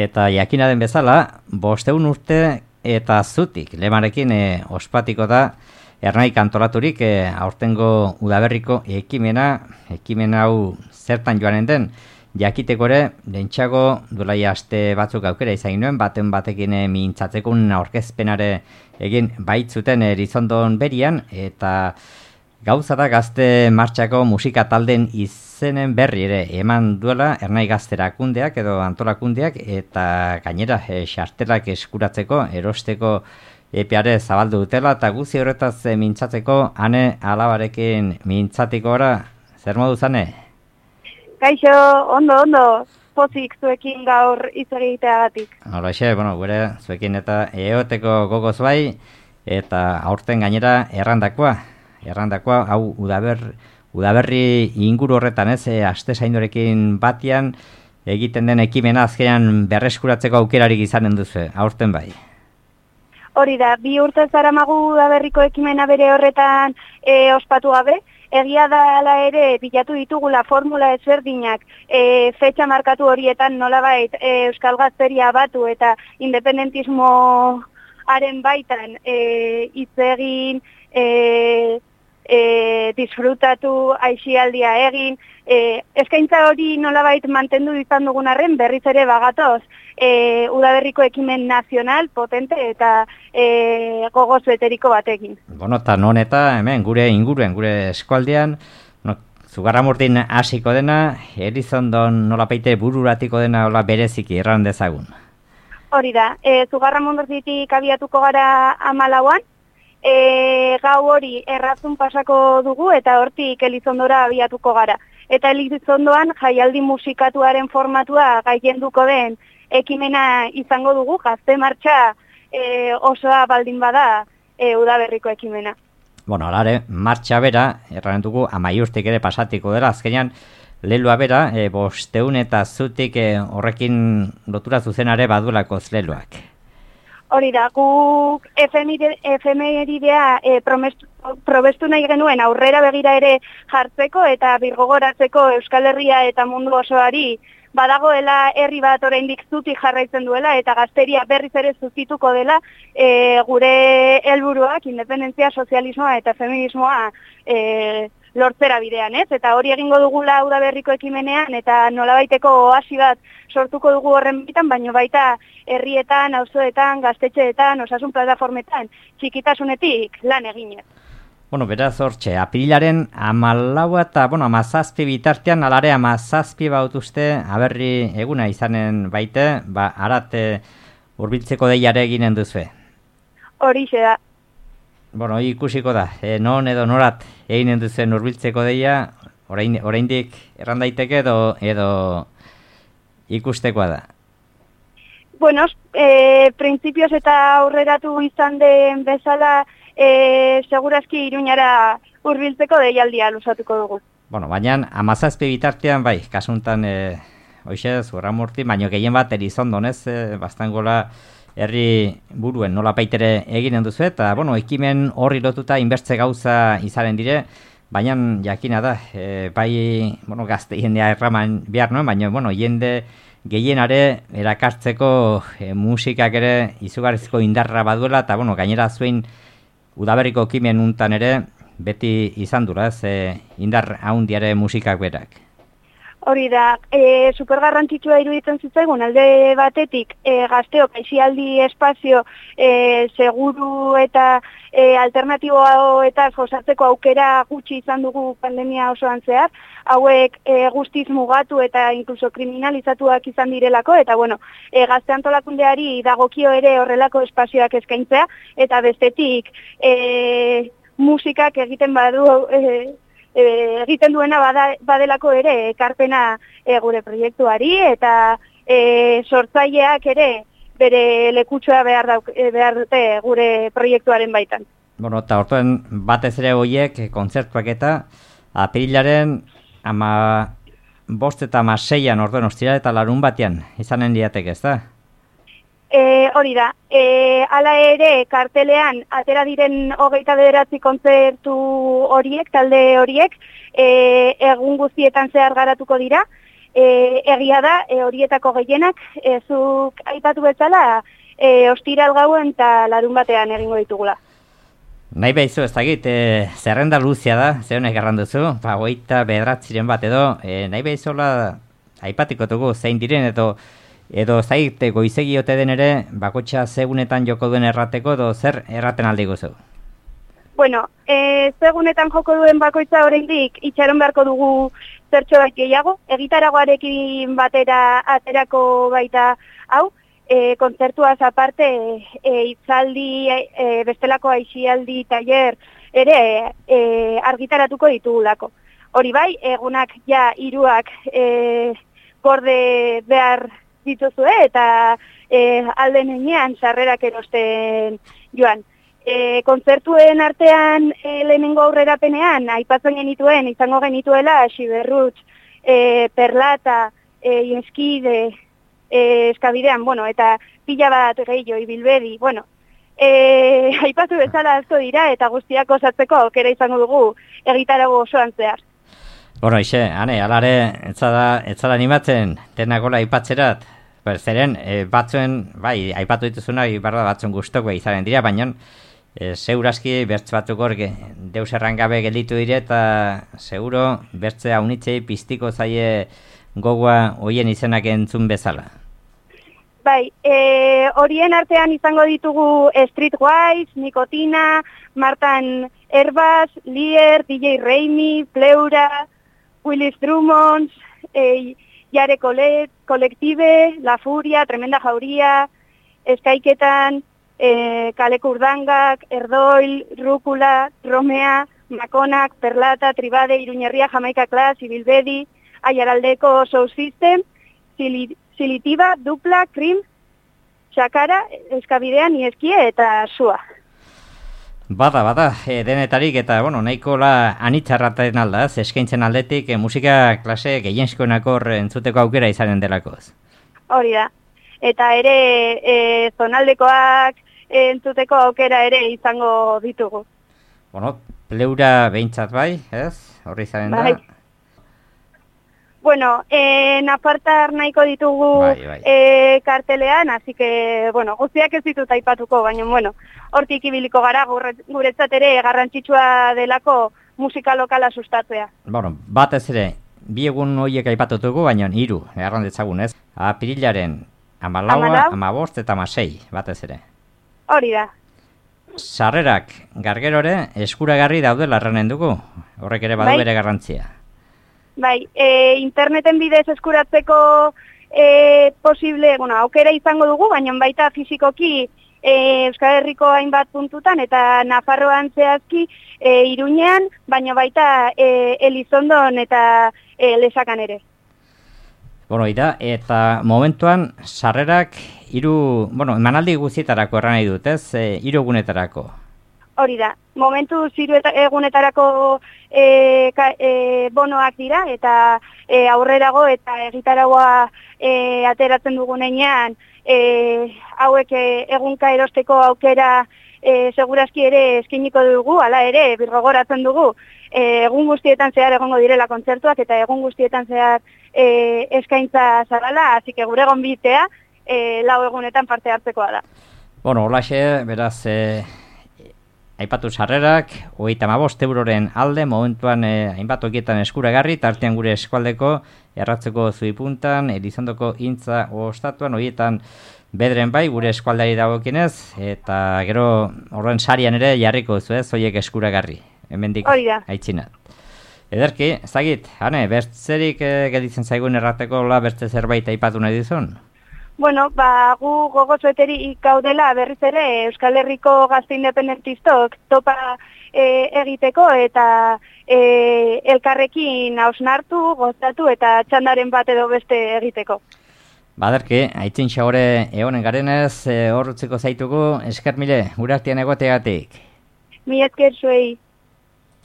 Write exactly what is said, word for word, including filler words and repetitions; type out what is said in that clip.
Eta jakina den bezala, bosteun urte eta zutik, lemarekin e, ospatiko da, Ernai antolaturik e, aurtengo udaberriko ekimena, ekimen hau zertan joanen den, jakiteko ere, lehentxago dulaia aste batzuk aukera izan nuen, baten batekin e, mintzatzekun aurkezpenare egin baitzuten Erizondon berian, eta gauza da Gazte Martxako musika talden izenen berri ere eman duela Ernai Gazte erakundeak edo antolakundeak, eta gainera e, xartelak eskuratzeko, erosteko epeare zabaldu dutela, eta guzi horretaz e, mintzatzeko ane alabarekin mintzatiko ora, zer modu zane? Kaixo, ondo, ondo, pozik zuekin gaur hitz egiteagatik. Horrexe, bueno, gure zuekin eta eoteko gogoz bai, eta aurten gainera errandakoa, errandakoa, hau udaber, udaberri inguru horretan ez, e, aste zaindorekin batian, egiten den ekimena azkenean berreskuratzeko aukerarik izanen duzu, aurten bai. Hori da, bi urte zaramagu udaberriko ekimena bere horretan e, ospatu gabe, egia da ala ere bilatu ditugula formula ezberdinak e, fetxa markatu horietan nolabait e, Euskal Gazteria batu eta independentismoaren baitan e, hitz egin, e, e, disfrutatu, aixialdia egin, e, eskaintza hori nolabait mantendu izan dugun arren berriz ere bagatoz e, udaberriko ekimen nazional, potente eta e, gogoz beteriko batekin. Bueno, eta non eta hemen gure inguruen, gure eskualdean, no, Zugarramurdin hasiko dena, Erizondon nolapeite bururatiko dena hola bereziki erran dezagun. Hori da, e, Zugarramurditik abiatuko gara hamalauan, e, gau hori errazun pasako dugu eta hortik Elizondora abiatuko gara. Eta Elizondoan jaialdi musikatuaren formatua gailenduko den ekimena izango dugu, Gazte Martxa e, osoa baldin bada e, udaberriko ekimena. Bueno, alare, martxa bera, erran dugu, amaiurtik ere pasatiko dela, azkenean, leloa bera, e, bosteun eta zutik e, horrekin lotura zuzenare badulakoz leloak. Hori da, guk efemeridea e, probestu nahi genuen aurrera begira ere jartzeko eta birgogoratzeko Euskal Herria eta mundu osoari badagoela herri bat oraindik zutik jarraitzen duela eta gazteria berriz ere zuzituko dela e, gure helburuak, independentzia, sozialismoa eta feminismoa e, lortzera bidean, ez? Eta hori egingo dugula udaberriko ekimenean eta nolabaiteko oasi bat sortuko dugu horren bitan, baino baita herrietan, auzoetan, gaztetxeetan, osasun plataformetan, txikitasunetik lan eginez. Bueno, beraz hortxe, apirilaren amalaua eta, bueno, amazazpi bitartean, alare amazazpi bautuzte, aberri eguna izanen baite, ba, arate hurbiltzeko deiare eginen duzue. Horixe da. Bueno, ikusiko da, e, non edo norat eginen duzuen hurbiltzeko deia, orain, oraindik erran daiteke edo, edo ikustekoa da. Bueno, e, printzipioz eta aurreratu izan den bezala, E, segurazki Iruñara hurbiltzeko deialdia luzatuko dugu. Bueno, baina amazazpi bitartean bai, kasuntan e, hoxe, Zugarramurdi, baino gehien bat Erizondon ez, e, bastangola herri buruen nola paitere eginen duzu eta, bueno, ekimen horri lotuta inbertze gauza izaren dire, baina jakina da, e, bai, bueno, gazte jendea erraman behar nuen, baina, bueno, jende gehienare erakartzeko e, musikak ere izugarrizko indarra baduela eta, bueno, gainera zuen udaberriko ekimen untan ere beti izan dura, ez, e, indar haundiare musikak berak. Hori da, e, supergarrantzitsua iruditzen zitzaigun alde batetik e, gazteok aixialdi espazio e, seguru eta e, alternatiboa eta osatzeko aukera gutxi izan dugu pandemia osoan zehar, hauek e, guztiz mugatu eta inkluso kriminalizatuak izan direlako, eta bueno, e, gazte antolakundeari dagokio ere horrelako espazioak eskaintzea, eta bestetik e, musikak egiten badu e, E, egiten duena bada, badelako ere ekarpena e, gure proiektuari eta e, sortzaileak ere bere lekutxoa behar, dauk, e, behar dute gure proiektuaren baitan. Bueno, eta orduan batez ere horiek kontzertuak eta apirilaren ama bost eta ama seian orduan ostira eta larun batean izanen diatek, ez da? E, hori da, e, ala ere kartelean atera diren hogeita bederatzi kontzertu horiek, talde horiek, e, egun guztietan zehar garatuko dira, E, egia da, e, horietako gehienak, e, zuk aipatu bezala, e, ostiral gauen eta larun batean egingo ditugula. Nahi behizu, ez dakit, e, zerrenda luzia da, ze honek erranduzu, ba, goita bedratziren bat edo, e, nahi behizola aipatiko dugu zein diren, edo edo zaite goizegi ote den ere, bakotxa segunetan joko duen errateko, edo zer erraten aldi guzu? Bueno, e, segunetan joko duen bakoitza oraindik itxaron beharko dugu zertxo bat gehiago, egitaragoarekin batera aterako baita hau, e, kontzertuaz aparte, e, itzaldi, e, bestelako aixialdi, tailer, ere e, argitaratuko ditugulako. Hori bai, egunak ja hiruak e, gorde behar dituzue eta e, alden enean sarrerak erosten joan. E, kontzertuen artean e, lehenengo aurrerapenean, aipatzen genituen, izango genituela, Xiberrutx, e, Perlata, e, Ieskide, e, Eskabidean, bueno, eta pila bat gehiago, Ibilbedi, bueno, e, aipatu bezala asko dira, eta guztiak osatzeko aukera izango dugu egitarago osoan zehar. Bueno, ixe, ane, alare, etzada, etzada animatzen, denakola aipatzerat, zeren, e, batzuen, bai, aipatu dituzuna, barra batzuen guztoko izaren dira, baina, e, segurazki, bertz batzuk hor, deus errangabe gelditu dire, eta seguro, bertzea unitzei piztiko zaie gogoa hoien izenak entzun bezala. Bai, e, horien artean izango ditugu Streetwise, Nikotina, Martan Herbaz, Lier, D J Reimi, Pleura, Willis Drummond, eh, Yare Colet, Collective, La Furia, Tremenda Jauría, Eskaiketan, eh, Kaleku Urdangak, Erdoil, Rúcula, Romea, Makonak, Perlata, Tribade, Iruñerria, Jamaika Class, Ibilbedi, Aiaraldeko Soul System, Silitiba, Dupla, Krim, Xakara, Eskabidean, Ieskie eta Sua. Bada, bada, e, denetarik eta, bueno, nahiko la anitzarraten aldaz, eskaintzen aldetik e, musika klase gehienskoenako entzuteko aukera izanen delakoz. Hori da. Eta ere, e, zonaldekoak entzuteko aukera ere izango ditugu. Bueno, Pleura behintzat bai, ez? Horri izanen da? Bai. Bueno, eh, nafartar nahiko ditugu bai, bai. Eh, kartelean, así que, bueno, guztiak ez ditut aipatuko, baina, bueno, hortik ibiliko gara, guretzat ere garrantzitsua delako musika lokala sustatzea. Bueno, batez ere, bi egun horiek aipatutuko, baina hiru errandetzagun, ez? Apirilaren amalaua, amabost eta amasei, batez ere. Hori da. Sarrerak gargerore eskuragarri daudela erranen dugu, horrek ere badu bai? Bere garrantzia. Bai, e, interneten bidez eskuratzeko e, posible, bueno, aukera izango dugu, baina baita fizikoki e, Euskal Herriko hainbat puntutan eta Nafarroan zehazki e, Iruñean, baina baita e, Elizondon eta e, Lesakan ere. Bueno, ira, eta momentuan sarrerak hiru, bueno, emanaldi guztietarako erran nahi dut, ez? E, hiru egunetarako. Hori da, momentu ziru egunetarako e, ka, e, bonoak dira, eta e, aurrerago eta egitaragoa e, ateratzen dugunean, e, hauek e, egunka erosteko aukera e, segurazki ere eskiniko dugu, hala ere, birgogoratzen dugu, e, egun guztietan zehar egongo direla kontzertuak, eta egun guztietan zehar e, eskaintza zarala, hasi que gure gonbitea e, lau egunetan parte hartzekoa da. Bueno, holaxe, beraz, e, aipatu sarrerak, hogeita hamabost euroren alde, momentuan eh, hainbat okietan eskuragarri, tartean gure eskualdeko, erratzeko zuipuntan, Elizondoko intza ostatuan, horietan bedren bai, gure eskualdari dagokienez, eta gero horren sarian ere jarriko zu ez, horiek eskuragarri, hemendik aitzinat. Ederki, ezagit, hane, bertzerik eh, gelditzen zaigun errateko la bertze zerbait aipatu nahi dizun? Bueno, ba, gu gogozueteri gaudela berriz ere Euskal Herriko gazte independentistok topa e, egiteko eta e, elkarrekin hausnartu, gozatu eta txandaren bat edo beste egiteko. Baderki, aitzin xagore egonen garenez, e, hor utziko zaitugu, esker mile, gure artean egoteagatik. Mi esker zuei.